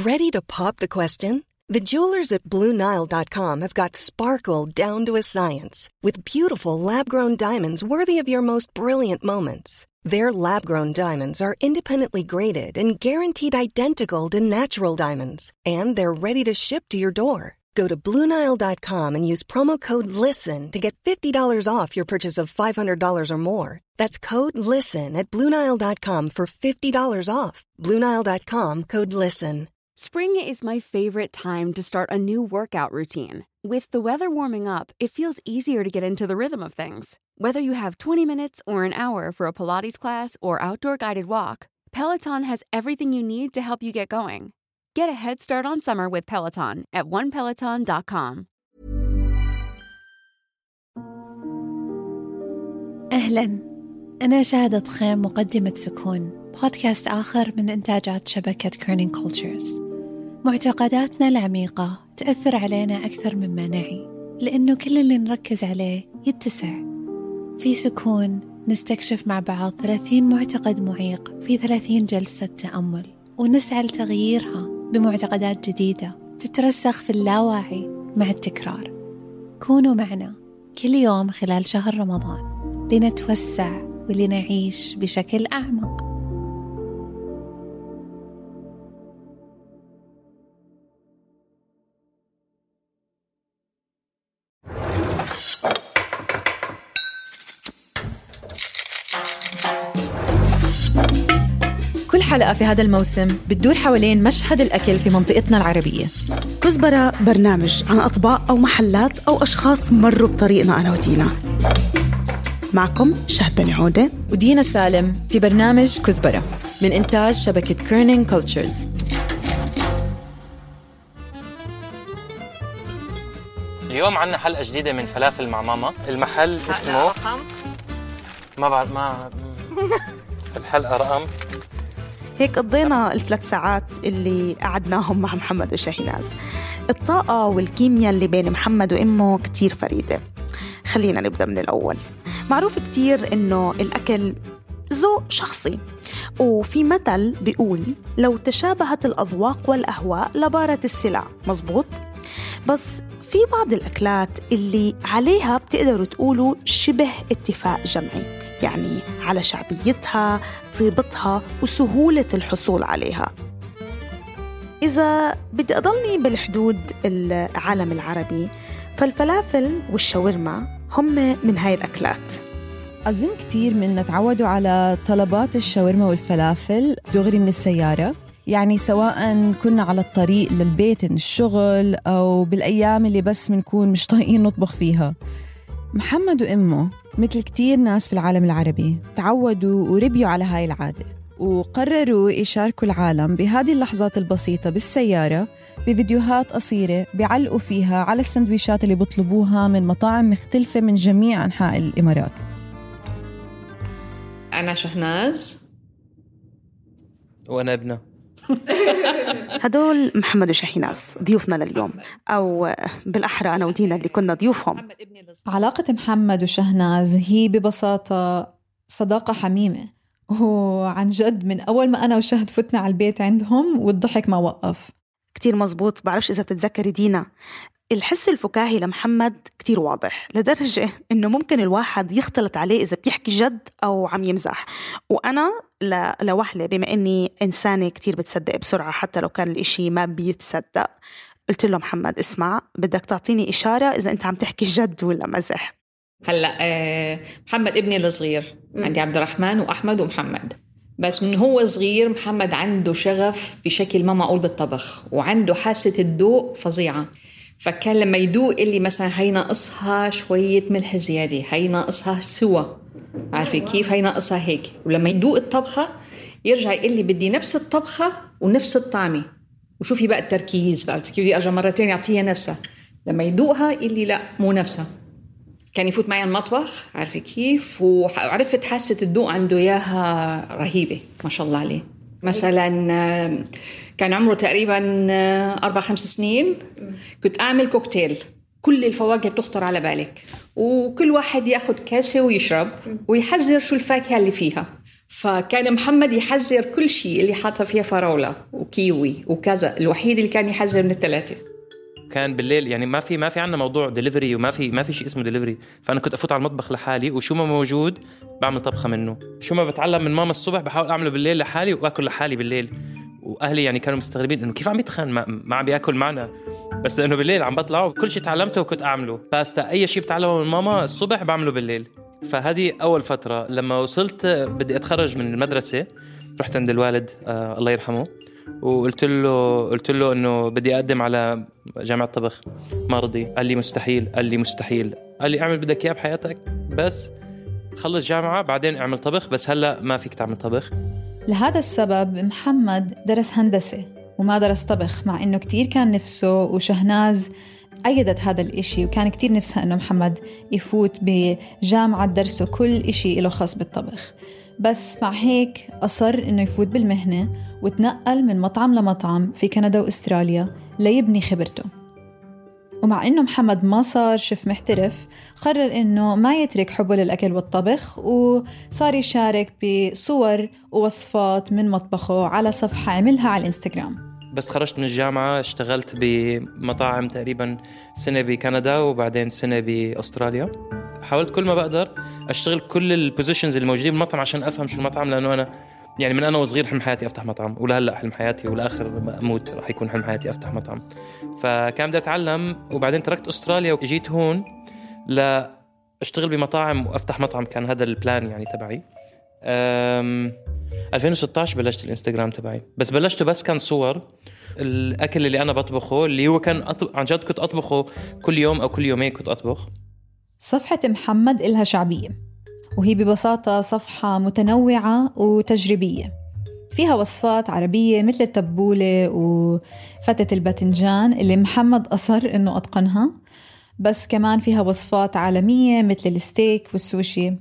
Ready to pop the question? The jewelers at BlueNile.com have got sparkle down to a science with beautiful lab-grown diamonds worthy of your most brilliant moments. Their lab-grown diamonds are independently graded and guaranteed identical to natural diamonds, and they're ready to ship to your door. Go to BlueNile.com and use promo code LISTEN to get $50 off your purchase of $500 or more. That's code LISTEN at BlueNile.com for $50 off. BlueNile.com, code LISTEN. Spring is my favorite time to start a new workout routine. With the weather warming up, it feels easier to get into the rhythm of things. Whether you have 20 minutes or an hour for a Pilates class or outdoor guided walk, Peloton has everything you need to help you get going. Get a head start on summer with Peloton at onepeloton.com. أهلاً، أنا شهادة خيم، مقدمة سكون، بودكاست آخر من إنتاجات شبكة كيرنينج كولتشرز. معتقداتنا العميقة تأثر علينا أكثر مما نعي، لأنه كل اللي نركز عليه يتسع. في سكون نستكشف مع بعض 30 معتقد معيق في 30 جلسة تأمل، ونسعى لتغييرها بمعتقدات جديدة تترسخ في اللاواعي مع التكرار. كونوا معنا كل يوم خلال شهر رمضان لنتوسع ولنعيش بشكل أعمق. كل حلقة في هذا الموسم بتدور حوالين مشهد الأكل في منطقتنا العربية. كزبرة برنامج عن أطباق أو محلات أو أشخاص مروا بطريقنا أنا ودينا. معكم شهد بن عودة ودينا سالم في برنامج كزبرة من إنتاج شبكة كيرنينج كولتشرز. اليوم عنا حلقة جديدة من فلافل مع ماما. المحل اسمه ما بعرف الحلقة رقم. هيك قضينا ال3 ساعات اللي قعدناهم مع محمد وشاهيناز. الطاقة والكيمياء اللي بين محمد وإمه كتير فريدة. خلينا نبدأ من الأول. معروف كتير إنه الأكل ذوق شخصي، وفي مثل بيقول لو تشابهت الأذواق والأهواء لبارت السلع. مزبوط؟ بس في بعض الأكلات اللي عليها بتقدروا تقولوا شبه اتفاق جمعي، يعني على شعبيتها، طيبتها، وسهولة الحصول عليها. إذا بدي أضلني بالحدود العالم العربي، فالفلافل والشاورما هم من هاي الأكلات. أظن كتير منا تعودوا على طلبات الشاورما والفلافل دغري من السيارة، يعني سواء كنا على الطريق للبيت من الشغل أو بالأيام اللي بس منكون مش طايقين نطبخ فيها. محمد وإمه مثل كتير ناس في العالم العربي تعودوا وربيوا على هاي العادة، وقرروا يشاركوا العالم بهذه اللحظات البسيطة بالسيارة بفيديوهات قصيرة بيعلقوا فيها على السندويشات اللي بيطلبوها من مطاعم مختلفة من جميع أنحاء الإمارات. أنا شهناز وأنا ابنه. هدول محمد وشاهيناز ضيوفنا لليوم، أو بالأحرى أنا ودينا اللي كنا ضيوفهم. علاقة محمد وشهناز هي ببساطة صداقة حميمة، وعن جد من أول ما أنا وشهد فتنا على البيت عندهم والضحك ما وقف. كتير مزبوط. بعرفش إذا بتتذكري دينا، الحس الفكاهي لمحمد كتير واضح، لدرجة إنه ممكن الواحد يختلط عليه إذا بيحكي جد أو عم يمزح. وأنا لوحلة بما إني إنسانة كتير بتصدق بسرعة حتى لو كان الإشي ما بيتصدق، قلت له محمد اسمع، بدك تعطيني إشارة إذا أنت عم تحكي جد ولا مزح. هلأ محمد ابني الصغير، عندي عبد الرحمن وأحمد ومحمد. بس من هو صغير محمد عنده شغف بشكل ما معقول بالطبخ، وعنده حاسة الذوق فظيعة. فكان لما يدوق اللي مثلا هي ناقصها شوية ملح زيادة، هي ناقصها سوا، عارفة كيف، هي ناقصها هيك. ولما يدوق الطبخة يرجع يقول لي بدي نفس الطبخة ونفس الطعمة. وشوفي بقى التركيز بقى، كيف بدي أرجع مرتين يعطيها نفسها. لما يدوقها يقول لي لا مو نفسها. كان يفوت معي المطبخ، عارفة كيف، وعرفت حاسة الذوق عنده إياها رهيبة ما شاء الله عليه. مثلا كان عمره تقريبا 4-5 سنين، كنت أعمل كوكتيل، كل الفواكه بتخطر على بالك، وكل واحد ياخد كاسة ويشرب ويحذر شو الفاكهة اللي فيها. فكان محمد يحذر كل شيء اللي حاطة فيها فراولة وكيوي وكذا، الوحيد اللي كان يحذر من الثلاثة. كان بالليل يعني ما في عنا موضوع ديليفري وما في شيء اسمه ديليفري، فأنا كنت أفوت على المطبخ لحالي وشو ما موجود بعمل طبخة منه، شو ما بتعلم من ماما الصبح بحاول أعمله بالليل لحالي وأكل لحالي بالليل. وأهلي يعني كانوا مستغربين إنه كيف عم يتخن ما عم بياكل معنا، بس لأنه بالليل عم بطلع وكل شيء تعلمته وكنت أعمله، باستا أي شيء بتعلمه من ماما الصبح بعمله بالليل. فهذه أول فترة. لما وصلت بدي أتخرج من المدرسة رحت عند الوالد الله يرحمه وقلت له إنه بدي أقدم على جامعة طبخ. ما رضي، قال لي مستحيل. قال لي اعمل بدك إياه بحياتك، بس خلص جامعة بعدين اعمل طبخ، بس هلأ ما فيك تعمل طبخ. لهذا السبب محمد درس هندسة وما درس طبخ، مع إنه كتير كان نفسه، وشهناز أيدت هذا الإشي وكان كتير نفسها إنه محمد يفوت بجامعة درسه كل إشي له خاص بالطبخ. بس مع هيك أصر إنه يفوت بالمهنة وتنقل من مطعم لمطعم في كندا وأستراليا ليبني خبرته. ومع إنه محمد ما صار شيف محترف، قرر إنه ما يترك حبه للأكل والطبخ، وصار يشارك بصور ووصفات من مطبخه على صفحة عملها على الإنستغرام. بس خرجت من الجامعة اشتغلت بمطاعم تقريبا سنة بكندا وبعدين سنة بأستراليا. حاولت كل ما بقدر أشتغل كل البوزيشنز اللي موجودين بالمطعم عشان أفهم شو المطعم، لأنه أنا يعني من أنا وصغير حلم حياتي أفتح مطعم، ولهلأ حلم حياتي والآخر ما أموت رح يكون حلم حياتي أفتح مطعم. فكان بدي أتعلم، وبعدين تركت أستراليا وجيت هون لأشتغل بمطاعم وأفتح مطعم. كان هذا البلان يعني تبعي. 2016 بلشت الانستغرام تبعي، بس بلشته بس كان صور الأكل اللي أنا بطبخه، اللي هو كان عن جد كنت أطبخه كل يوم أو كل يومين كنت أطبخ. صفحة محمد إلها شعبية، وهي ببساطة صفحة متنوعة وتجريبية، فيها وصفات عربية مثل التبولة وفتة الباذنجان اللي محمد أصر إنه أتقنها، بس كمان فيها وصفات عالمية مثل الستيك والسوشي.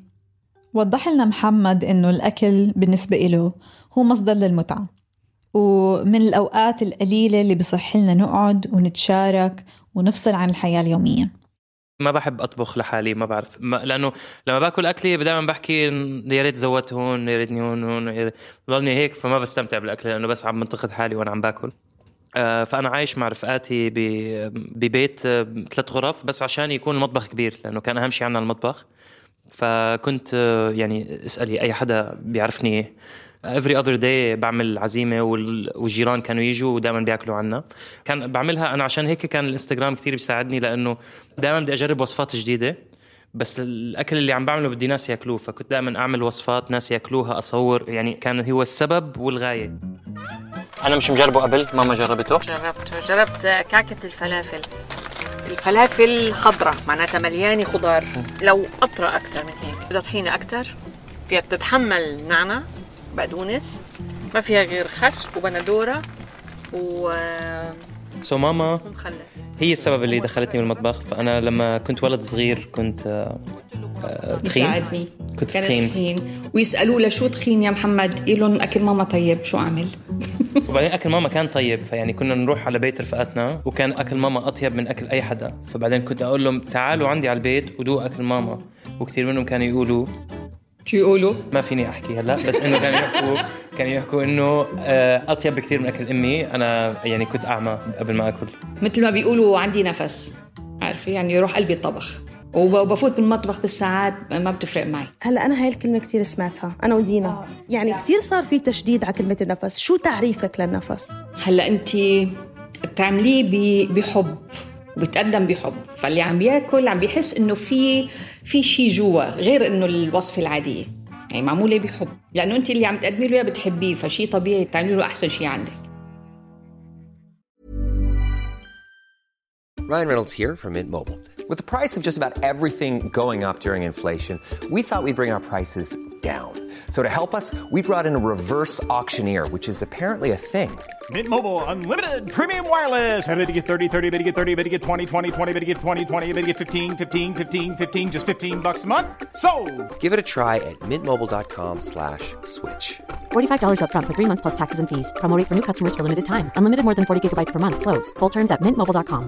وضح لنا محمد إنه الأكل بالنسبة إله هو مصدر للمتعة، ومن الأوقات القليلة اللي بصح لنا نقعد ونتشارك ونفصل عن الحياة اليومية. ما بحب أطبخ لحالي، ما بعرف لأنه لما باكل أكلي دائما بحكي يا ريت زودت هون، يا ريتني هون، ضلني هيك، فما بستمتع بالأكل لأنه بس عم منتقد حالي وأنا عم باكل. فأنا عايش مع رفقاتي ببيت 3 غرف بس عشان يكون المطبخ كبير، لأنه كان أهم شيء عنا المطبخ. فكنت يعني اسألي أي حدا بيعرفني every other day بعمل عزيمة والجيران كانوا يجوا ودائما بيأكلوا عنا. كان بعملها أنا عشان هيك كان الانستغرام كثير بيساعدني، لأنه دائما بدي أجرب وصفات جديدة، بس الأكل اللي عم بعمله بدي ناس يأكلوه، فكنت دائما أعمل وصفات ناس يأكلوها، أصور، يعني كان هو السبب والغاية. أنا مش مجربه قبل، ماما جربته. جربت كعكة الفلافل خضرة، معناتها مليانة خضار، لو أطرى أكتر من هيك، بدها طحينة أكتر، فيها بتتحمل نعناع بقدونس، ما فيها غير خس وبندورة ماما هي السبب اللي دخلتني بالمطبخ. فأنا لما كنت ولد صغير كنت تخين، يساعدني، كنت كانت تخين. ويسألوا له شو تخين يا محمد، يقولون أكل ماما طيب، شو أعمل؟ وبعدين أكل ماما كان طيب، فيعني كنا نروح على بيت رفقاتنا وكان أكل ماما أطيب من أكل أي حدا. فبعدين كنت أقول لهم تعالوا عندي على البيت ودوق أكل ماما، وكثير منهم كانوا يقولوا شو يقولوا؟ ما فيني أحكي هلأ، بس إنه كانوا يحكوا إنه أطيب بكثير من أكل أمي. أنا يعني كنت أعمى قبل ما أكل، مثل ما بيقولوا عندي نفس، عارفة يعني يروح قلبي الطبخ، وبفوت بالمطبخ بالساعات ما بتفرق معي. هلا أنا هاي الكلمة كتير سمعتها أنا ودينا، يعني كتير صار في تشديد على كلمة النفس. شو تعريفك للنفس؟ هلا أنت بتعمليه بحب وبتقدم بحب، فاللي عم بياكل عم بيحس إنه في شيء جوا غير إنه الوصفة العادية، يعني معمولة بحب، لأنه أنت اللي عم تقدمي له بتحبيه، فشي طبيعي تعملي له أحسن شيء عندك. Ryan Reynolds here from Mint Mobile. With the price of just about everything going up during inflation, we thought we'd bring our prices down. So to help us, we brought in a reverse auctioneer, which is apparently a thing. Mint Mobile Unlimited Premium Wireless. How to get 30, 30, bit to get 30, bit to get 20, 20, 20, bit to get 20, 20, bit to get 15, 15, 15, 15, just $15 a month. Sold! Give it a try at mintmobile.com/switch. $45 up front for 3 months plus taxes and fees. Promo rate for new customers for limited time. Unlimited more than 40 gigabytes per month. Slows full terms at mintmobile.com.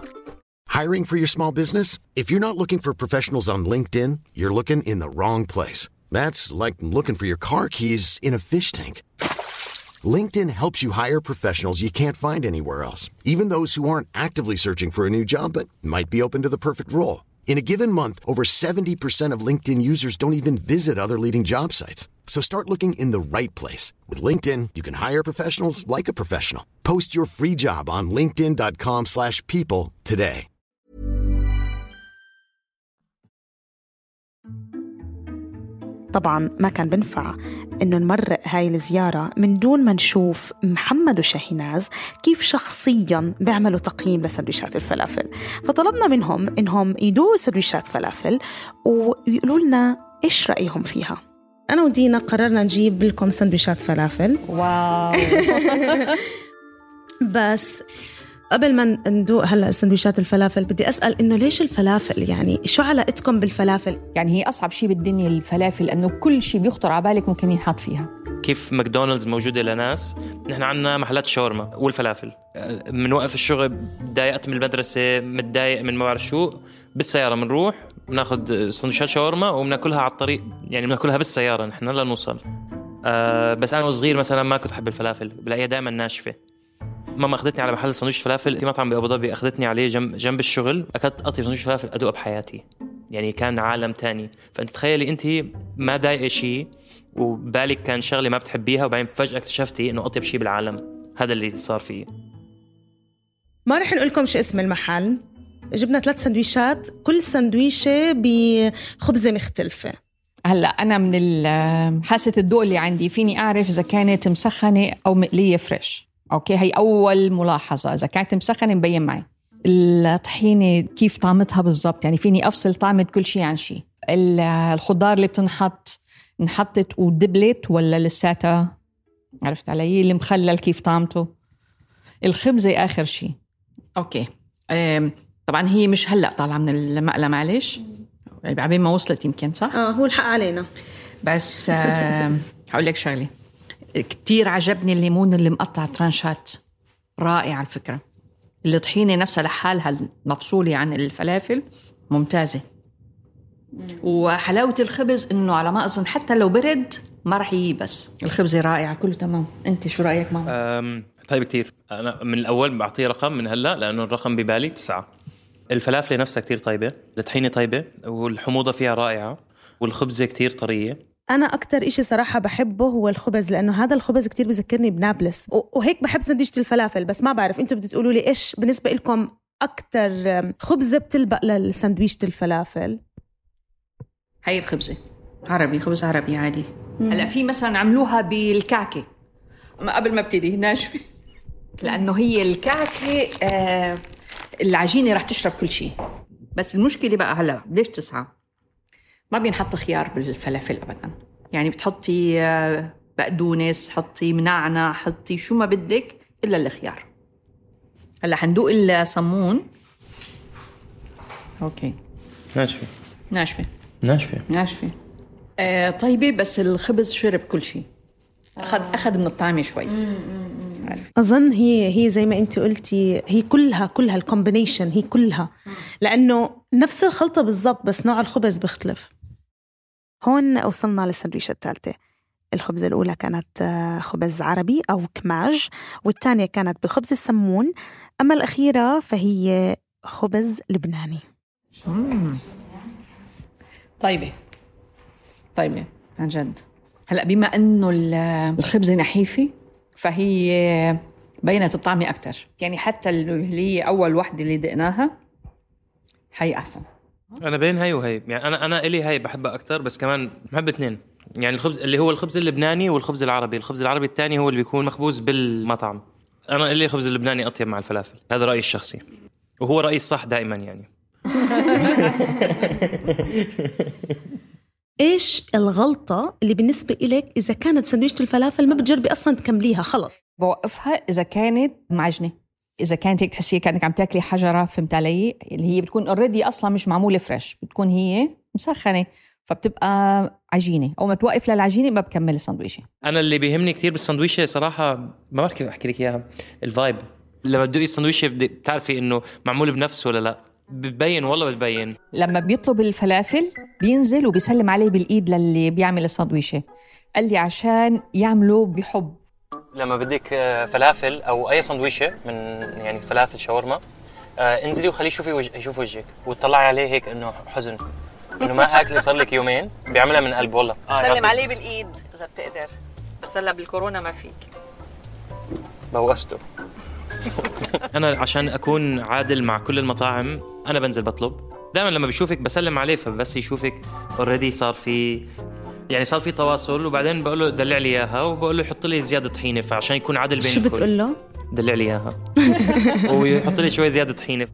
Hiring for your small business? If you're not looking for professionals on LinkedIn, you're looking in the wrong place. That's like looking for your car keys in a fish tank. LinkedIn helps you hire professionals you can't find anywhere else, even those who aren't actively searching for a new job but might be open to the perfect role. In a given month, over 70% of LinkedIn users don't even visit other leading job sites. So start looking in the right place. With LinkedIn, you can hire professionals like a professional. Post your free job on linkedin.com/people today. طبعا ما كان بنفع إنه نمرق هاي الزيارة من دون ما نشوف محمد وشاهيناز كيف شخصياً بيعملوا تقييم لسندويشات الفلافل. فطلبنا منهم إنهم يدوقوا سندويشات فلافل ويقولوا لنا إيش رأيهم فيها. أنا ودينا قررنا نجيب لكم سندويشات فلافل. واو. بس قبل ما ندوق هلأ سندويشات الفلافل بدي أسأل إنه ليش الفلافل؟ يعني شو علاقتكم بالفلافل؟ يعني هي أصعب شيء بالدنيا الفلافل، لأنه كل شيء بيخطر على بالك ممكن ينحط فيها. كيف ماكدونالدز موجودة لناس، نحن عنا محلات شاورما والفلافل. من وقف الشغل ضايقت من المدرسة، متضايق من ما بعرف شو، بالسيارة منروح بناخد سندويشات شاورما وبناكلها على الطريق، يعني بناكلها بالسيارة نحن لا نوصل. بس أنا وصغير مثلا ما كنت أحب الفلافل، بلاقيها دائما ناشفة. ماما أخذتني على محل سندويش فلافل في مطعم بأبو ظبي، أخذتني عليه جنب الشغل، أكلت قطي سندويش فلافل أدوق بحياتي، يعني كان عالم تاني. فأنت تخيلي أنت ما ضايقة شيء وبالك كان شغلة ما بتحبيها، وبعدين فجأة اكتشفتي إنه أطيب شيء بالعالم. هذا اللي صار فيه. ما رح نقول لكم شو اسم المحل. جبنا 3 سندويشات، كل سندويشة بخبزة مختلفة. هلا أنا من حاسة الذوق اللي عندي فيني أعرف إذا كانت مسخنة أو مقلية فريش. أوكي، هي أول ملاحظة. إذا كانت مسخنة مبين معي. الطحينة كيف طعمتها بالضبط، يعني فيني أفصل طعمة كل شيء عن شيء. الخضار اللي انحطت ودبلت ولا لساتها، عرفت علي؟ المخلل كيف طعمته. الخبزة آخر شيء. أوكي. طبعا هي مش هلأ طالعة من المقلة، معلش عبين ما وصلت يمكن، صح؟ هو الحق علينا. بس هقول لك شغلة كتير عجبني، الليمون اللي مقطع ترانشات رائع على الفكرة. الطحينة نفسها لحالها المفصولة عن الفلافل ممتازة. وحلاوة الخبز إنه على ما أظن حتى لو برد ما رح ييبس. الخبزة رائعة، كله تمام. أنت شو رأيك ماما؟ طيب كتير. أنا من الأول بعطيه رقم من هلأ لأنه الرقم ببالي 9. الفلافل نفسها كتير طيبة، الطحينة طيبة، والحموضة فيها رائعة، والخبزة كتير طرية. أنا أكتر إشي صراحة بحبه هو الخبز، لأنه هذا الخبز كتير بذكرني بنابلس، وهيك بحب سندويشة الفلافل. بس ما بعرف أنتوا بدي تقولوا لي إيش بالنسبة لكم أكتر خبزة بتلبق لسندويشة الفلافل؟ هاي الخبزة عربي، خبز عربي عادي. هلا في مثلا عملوها بالكعكة قبل ما ابتدي ناشفة، لأنه هي الكعكة العجينة رح تشرب كل شيء. بس المشكلة بقى هلا ليش 9 ما بينحط خيار بالفلافل أبداً. يعني بتحطي بقدونس، حطي منعنع، حطي شو ما بدك إلا الخيار. هلا حندوق الصمون. أوكي. ناشفة. طيبة، بس الخبز شرب كل شيء، أخذ من الطعم شوي. أظن هي زي ما أنت قلتي، هي كلها الكومبينيشن، هي كلها، لأنه نفس الخلطة بالضبط بس نوع الخبز بيختلف. هون وصلنا للسندويشة الثالثة. الخبزة الأولى كانت خبز عربي أو كماج، والثانية كانت بخبز السمون، أما الأخيرة فهي خبز لبناني. طيبة عن جد. هلأ بما أنه الخبزة نحيفة فهي بينت الطعم أكتر، يعني حتى اللي هي أول واحدة اللي دقناها هي أحسن. أنا بين هاي وهي، يعني أنا إلي هاي بحبها أكتر، بس كمان بحب 2. يعني الخبز اللي هو الخبز اللبناني والخبز العربي. الخبز العربي الثاني هو اللي بيكون مخبوز بالمطعم. أنا إلي الخبز اللبناني أطيب مع الفلافل، هذا رأيي الشخصي، وهو رأيي الصح دائما يعني. إيش الغلطة اللي بالنسبة إليك إذا كانت سندويشة الفلافل ما بتجربي أصلاً تكمليها خلص؟ بوقفها إذا كانت معجنة، إذا كانت هيك تحسي كأنك عم تاكلي حجرة، فهمت علي؟ اللي هي بتكون already أصلاً مش معمولة فريش، بتكون هي مسخنة فبتبقى عجينة. أو ما توقف للعجينة ما بكمل السندويشة. أنا اللي بيهمني كتير بالسندويشة صراحة، ما بعرف كيف أحكي لك إياها، الفايب. لما تدوقي السندويشة بتعرفي إنه معمول بنفس ولا لا. بتبين والله بتبين. لما بيطلب الفلافل بينزل وبيسلم عليه بالإيد للي بيعمل الساندويشة. قال لي عشان يعملوا بحب. لما بدك فلافل أو أي ساندويشة من يعني فلافل شاورما، انزلي وخليه يشوف وجهك وتطلعي عليه هيك إنه حزن، إنه ما أكلي صار لك يومين. بيعملها من قلب والله. سلم عليه بالإيد إذا بتقدر، بس هلا بالكورونا ما فيك. بوقسته. أنا عشان أكون عادل مع كل المطاعم أنا بنزل بطلب دائما. لما بيشوفك بسلم عليه، فبس يشوفك already صار في تواصل. وبعدين بقول له دلع لي إياها، وبقول له يحط لي زيادة طحينة، فعشان يكون عادل بين شو الكل. بتقول له؟ دلع لي إياها ويحط لي شوي زيادة طحينة.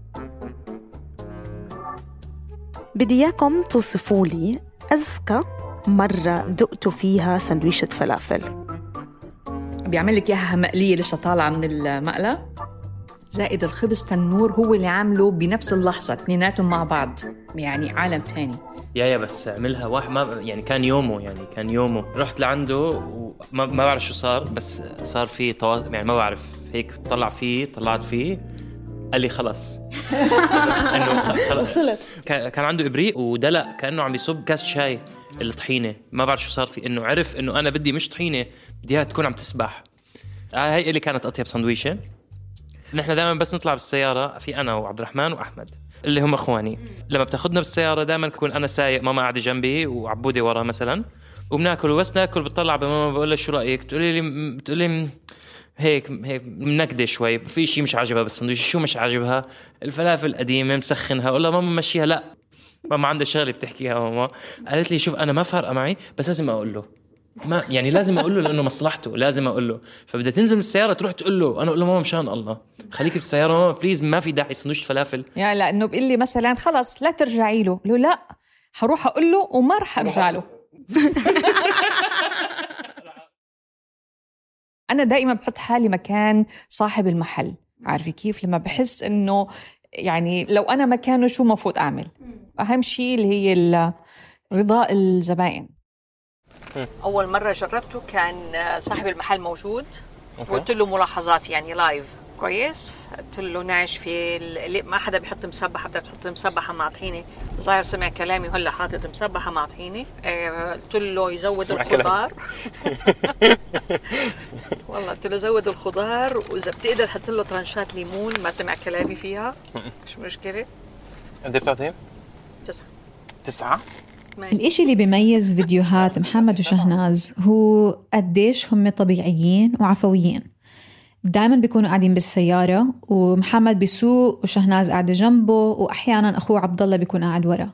بدي إياكم توصفوا لي أذكى مرة دقتوا فيها سندويشة فلافل. بيعمل لك إياها مقلية لسه طالعة من المقلة، زائد الخبز تنور هو اللي عامله بنفس اللحظة، اثنيناتهم مع بعض، يعني عالم تاني. يا بس عملها واحد ما يعني كان يومه رحت لعنده وما بعرف شو صار، بس صار فيه يعني ما بعرف هيك طلعت فيه قال لي خلص. انه وصلت. كان عنده ابريق ودلق كانه عم يصب كاس شاي الطحينه، ما بعرف شو صار فيه، انه عرف انه انا بدي مش طحينه، بديها تكون عم تسبح. هاي اللي كانت اطيب سندويشه. نحن دائما بس نطلع بالسياره، في انا وعبد الرحمن واحمد اللي هم اخواني. لما بتاخذنا بالسياره دائما بكون انا سايق، ماما قاعده جنبي وعبودي ورا مثلا، وبناكل. وبس ناكل بتطلع بماما بقول لها شو رايك، بتقولي هيك منكده شوي، في شيء مش عاجبها بالسندويش. شو مش عاجبها؟ الفلافل قديمه مسخنها. اقول لها ماما مشيها. لا، ماما عندها شغله بتحكيها. ماما قالت لي شوف انا ما فارقه معي، بس لازم اقول له، ما يعني لازم اقول له لانه مصلحته، لازم اقول له. فبدها تنزل من السياره تروح تقول له، انا اقول له ماما مشان الله خليكي في السياره ماما بليز، ما في داعي سندويش فلافل. يعني لانه بيقول لي مثلا خلص لا ترجعي له، لا حروح اقول له وما رح ارجع له. أنا دائما بحط حالي مكان صاحب المحل، عارفة كيف؟ لما بحس إنه يعني لو أنا مكانه شو مفروض أعمل؟ أهم شيء اللي هي رضاء الزبائن. أول مرة جربته كان صاحب المحل موجود، وقلت له ملاحظات يعني لايف كويس. قلت له ناشفة، ما حدا بيحط مسبحة، بدك تحط مسبحة مع طحينة. ظاهر سمع كلامي وهلا حاطط مسبحة مع طحينة. قلت له يزود الخضار. والله قلت له زود الخضار، وإذا بتقدر حط له ترانشات ليمون. ما سمع كلامي فيها، مش مشكلة. قد ايه بتعطيه؟ 9. الإشي اللي بيميز فيديوهات محمد وشهناز هو قديش هم طبيعيين وعفويين. دائما بيكونوا قاعدين بالسيارة، ومحمد بيسوق وشهناز قاعدة جنبه، وأحيانا أخوه عبد الله بيكون قاعد ورا.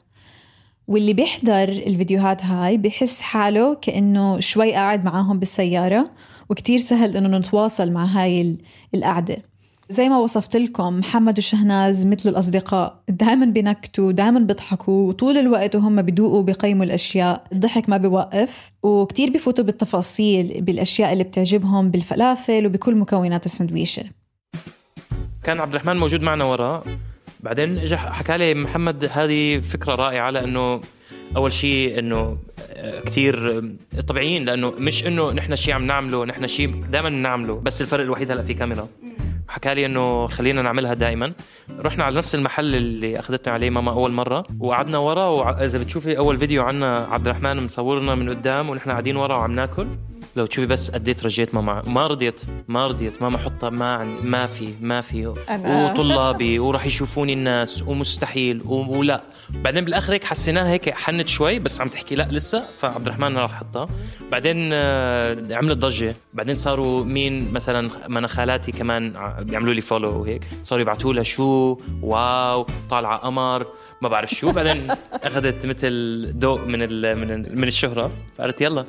واللي بيحضر الفيديوهات هاي بيحس حاله كأنه شوي قاعد معاهم بالسيارة، وكتير سهل إنه نتواصل مع هاي القعدة. زي ما وصفت لكم، محمد وشهناز مثل الأصدقاء، دائما بينكتوا، دائما بيضحكوا، وطول الوقت وهم بيدوقوا بيقيموا الأشياء. الضحك ما بيوقف، وكتير بيفوتوا بالتفاصيل بالأشياء اللي بتعجبهم بالفلافل وبكل مكونات السندويشة. كان عبد الرحمن موجود معنا ورا، بعدين اجى حكى لي محمد هذه فكرة رائعة، لأنه أول شيء إنه كتير طبيعيين، لأنه مش إنه نحن شيء عم نعمله، نحن شيء دائما نعمله، بس الفرق الوحيد هلأ في كاميرا. حكى لي إنه خلينا نعملها دائما. رحنا على نفس المحل اللي أخذتنا عليه ماما أول مرة، وقعدنا ورا. وإذا بتشوفي أول فيديو عنا عبد الرحمن مصورنا من قدام ونحن قاعدين ورا وعم ناكل، لو تشوفي بس قديت رجيت ماما. ما رضيت ماما حطها ما في وطلابي وراح يشوفوني الناس ومستحيل ولا. بعدين بالآخر هيك حسيناها هيك حنت شوي، بس عم تحكي لا لسه. فعبد الرحمن راح حطها. بعدين عملت ضجة. بعدين صاروا مين مثلا من خالاتي كمان بيعملوا لي فولو وهيك، صاروا يبعتوا لها شو واو طالعة قمر ما بعرف شو. بعدين أخذت مثل ضوء من الشهرة، فقالت يلا.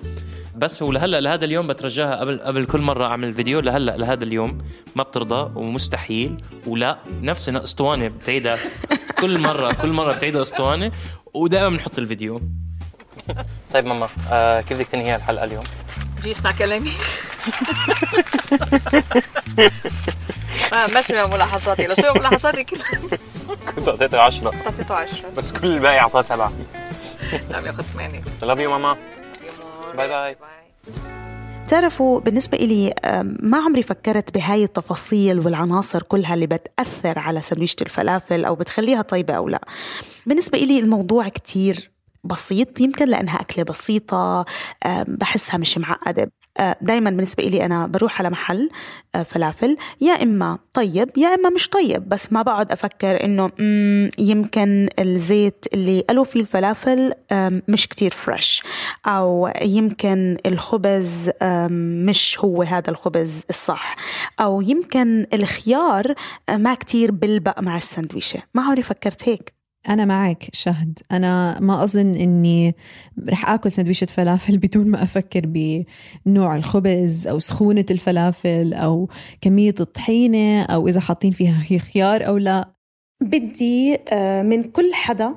بس ولهلا لهذا اليوم بترجاها قبل كل مرة أعمل فيديو، لهذا اليوم ما بترضى ومستحيل ولا نفس اسطوانة بتعيدها كل مرة بتعيدها اسطوانة، ودائما بنحط الفيديو. طيب ماما كيف بدك تنهي الحلقة اليوم؟ بدي يسمع كلامي. ما سمع ملاحظاتي، لو سمع ملاحظاتي كلها كنت أعطيته 10. بس كل الباقي أعطاه 7. لا بياخد 8. I love you ماما. باي. تعرفوا بالنسبة إلي ما عمري فكرت بهاي التفاصيل والعناصر كلها اللي بتأثر على سندويشة الفلافل أو بتخليها طيبة أو لا. بالنسبة إلي الموضوع كتير بسيط، يمكن لأنها أكلة بسيطة بحسها مش معقدة. دايما بالنسبة إلي أنا بروح على محل فلافل يا إما طيب يا إما مش طيب، بس ما بقعد أفكر إنه يمكن الزيت اللي قالوا فيه الفلافل مش كتير فريش، أو يمكن الخبز مش هو هذا الخبز الصح، أو يمكن الخيار ما كتير بلبق مع السندويشة. ما عمري فكرت هيك. أنا معك شهد، أنا ما أظن إني رح آكل سندويشة فلافل بدون ما أفكر بنوع الخبز أو سخونة الفلافل أو كمية الطحينة أو إذا حاطين فيها خيار أو لا. بدي من كل حدا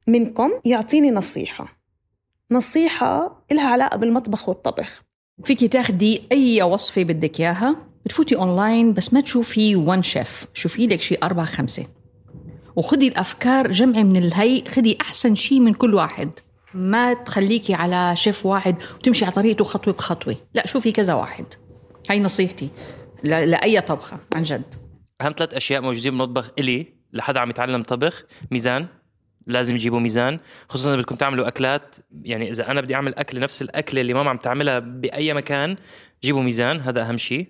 منكم يعطيني نصيحة إلها علاقة بالمطبخ والطبخ. فيكي تاخدي أي وصفة بدك إياها، بتفوتي أونلاين بس ما تشوفي وان شيف، شوفي لك شي 4-5 وخدي الأفكار، جمعي من الهي، خدي أحسن شيء من كل واحد. ما تخليكي على شيف واحد وتمشي على طريقته خطوة بخطوة، لا شوفي كذا واحد. هاي نصيحتي لأي طبخة عن جد. أهم 3 أشياء موجودين بالمطبخ إلي لحد عم يتعلم طبخ: ميزان، لازم يجيبوا ميزان، خصوصا إذا بدكم تعملوا أكلات. يعني إذا أنا بدي أعمل أكل نفس الأكلة اللي ماما عم تعملها بأي مكان، جيبوا ميزان، هذا أهم شيء.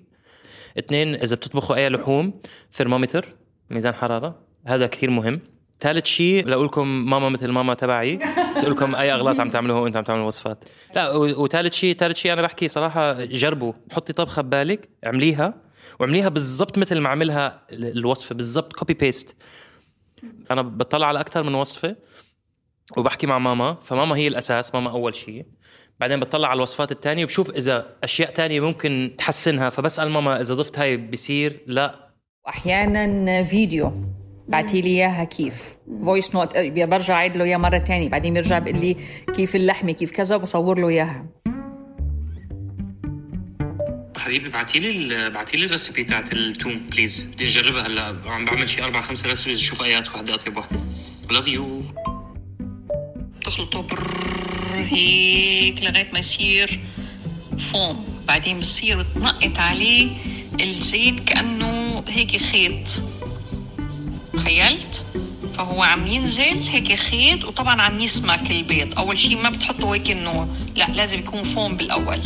2، إذا بتطبخوا أي لحوم، ثرمومتر، ميزان حرارة، هذا كثير مهم. 3 شيء لأقولكم ماما مثل ماما تبعي تقولكم أي أغلاط عم تعملوها وأنت عم تعملوا وصفات. لا، وثالث شيء أنا بحكي صراحة، جربوا، حطي طبخة ببالك، اعمليها بالضبط مثل ما عملها الوصفة بالضبط، كوبي بيست. أنا بطلع على أكثر من وصفة وبحكي مع ماما، فماما هي الأساس، ماما أول شيء، بعدين بطلع على الوصفات التانية وبشوف إذا أشياء تانية ممكن تحسنها، فبسأل ماما إذا ضفت هاي بيصير لا. أحياناً فيديو بعتي لي إياها كيف فويس نوت، برجع عيد له إياها مرة تانية، بعدين بيرجع بيقول لي كيف اللحمة كيف كذا، وبصور له إياها. حبيبي بعتي لي الريسبي تاعت التوم بليز، بدي أجربها هلا. عم بعمل شي 4-5 ريسبيز، شوف أيات واحدة أطيب واحدة. love you. تخلطه هيك لغاية ما يصير فوم، بعدين بصير تنقط عليه الزيت كأنه هيك خيط، تخيلت؟ فهو عم ينزل هيك خيط، وطبعا عم يسمك البيض. أول شيء ما بتحطه هيك إنه لا، لازم يكون فوم بالأول،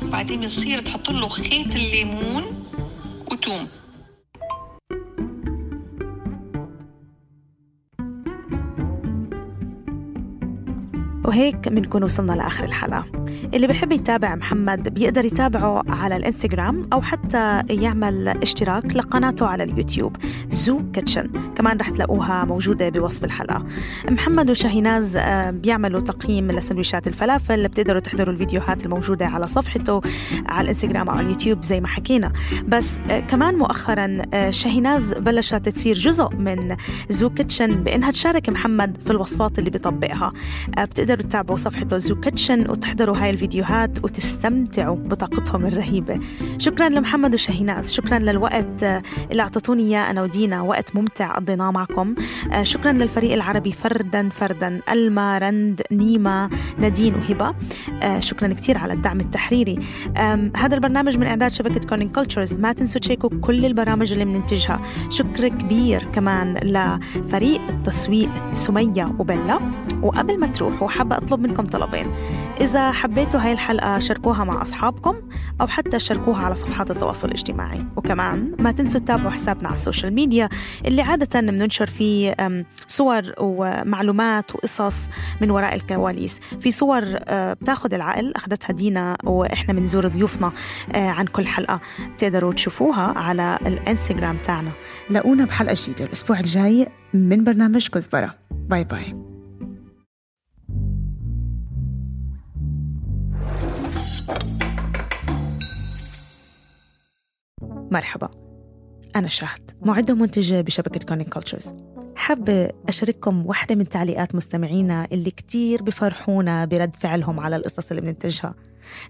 بعدين بصير تحط له خيط الليمون وتوم. وهيك بنكون وصلنا لآخر الحلقة. اللي بحب يتابع محمد بيقدر يتابعه على الانستغرام أو حتى يعمل اشتراك لقناته على اليوتيوب زو كيتشن، كمان رح تلاقوها موجودة بوصف الحلقة. محمد وشاهيناز بيعملوا تقييم لسندويشات الفلافل، بتقدروا تحضروا الفيديوهات الموجودة على صفحته على الانستغرام أو على اليوتيوب زي ما حكينا. بس كمان مؤخرا شاهيناز بلشت تصير جزء من زو كيتشن بأنها تشارك محمد في الوصفات اللي بيطبقها. بتقدروا تتابعوا صفحته زو كيتشن وتحضروا هاي الفيديوهات وتستمتعوا بطاقتهم الرهيبة. شكرا لمحمد وشاهيناز، شكرا للوقت اللي أعطتوني إياه أنا ودينا، وقت ممتع قضيناه معكم. شكرا للفريق العربي فردا، ألما، رند، نيمة، نادين وهبة. شكرا كتير على الدعم التحريري. هذا البرنامج من إعداد شبكة كورنينج كولتشرز. ما تنسوا تشيكوا كل البرامج اللي بننتجها. شكر كبير كمان لفريق التسويق سمية وبيلا. وقبل ما تروحوا حابة أطلب منكم طلبين. إذا حبيتوا هاي الحلقة شاركوها مع أصحابكم أو حتى شاركوها على صفحات التواصل الاجتماعي. وكمان ما تنسوا تتابعوا حسابنا على السوشيال ميديا اللي عادة بننشر فيه صور ومعلومات وقصص من وراء الكواليس. في صور بتاخد العقل أخذتها دينا وإحنا بنزور ضيوفنا عن كل حلقة، بتقدروا تشوفوها على الانستغرام تاعنا. لاقونا بحلقة جديدة الأسبوع الجاي من برنامج كزبرة. باي باي. مرحبا، أنا شهد، معدة ومنتجة بشبكة كورنينج كولتشرز. حابة أشارككم واحدة من تعليقات مستمعينا اللي كتير بفرحونا برد فعلهم على القصص اللي بننتجها.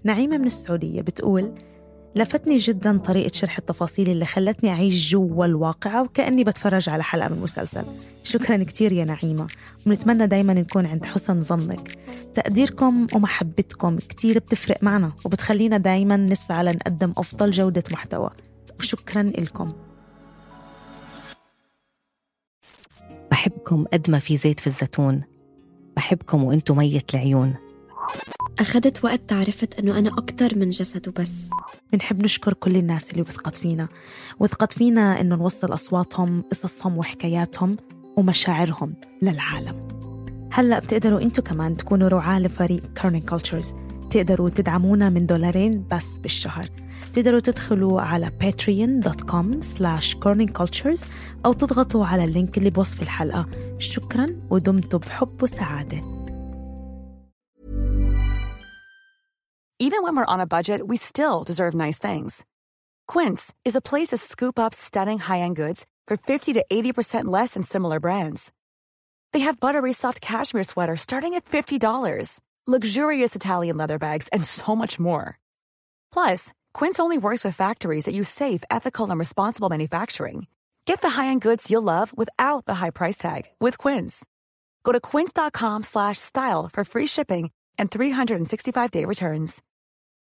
نعيمة من السعودية بتقول: لفتني جدا طريقة شرح التفاصيل اللي خلتني أعيش جوا الواقعة وكأني بتفرج على حلقة من مسلسل. شكرا كتير يا نعيمة، ونتمنى دايما نكون عند حسن ظنك. تقديركم ومحبتكم كتير بتفرق معنا وبتخلينا دايما نسعى لنقدم أفضل جودة محتوى، وشكرا لكم. بحبكم قد ما في زيت في الزيتون، بحبكم وانتو مية العيون. أخذت وقت تعرفت أنه أنا أكتر من جسد وبس. بنحب نشكر كل الناس اللي وثقت فينا إنه نوصل أصواتهم، قصصهم وحكاياتهم ومشاعرهم للعالم. هلأ بتقدروا أنتو كمان تكونوا رعاة لفريق Curning Cultures. تقدروا تدعمونا من $2 بس بالشهر. تقدروا تدخلوا على patreon.com/kerningcultures أو تضغطوا على اللينك اللي بوصف الحلقة. شكرا ودمتم بحب وسعادة. Even when we're on a budget, we still deserve nice things. Quince is a place to scoop up stunning high-end goods for 50 to 80% less than similar brands. They have buttery soft cashmere sweaters starting at $50, luxurious Italian leather bags, and so much more. Plus, Quince only works with factories that use safe, ethical, and responsible manufacturing. Get the high-end goods you'll love without the high price tag with Quince. Go to quince.com/style for free shipping and 365-day returns.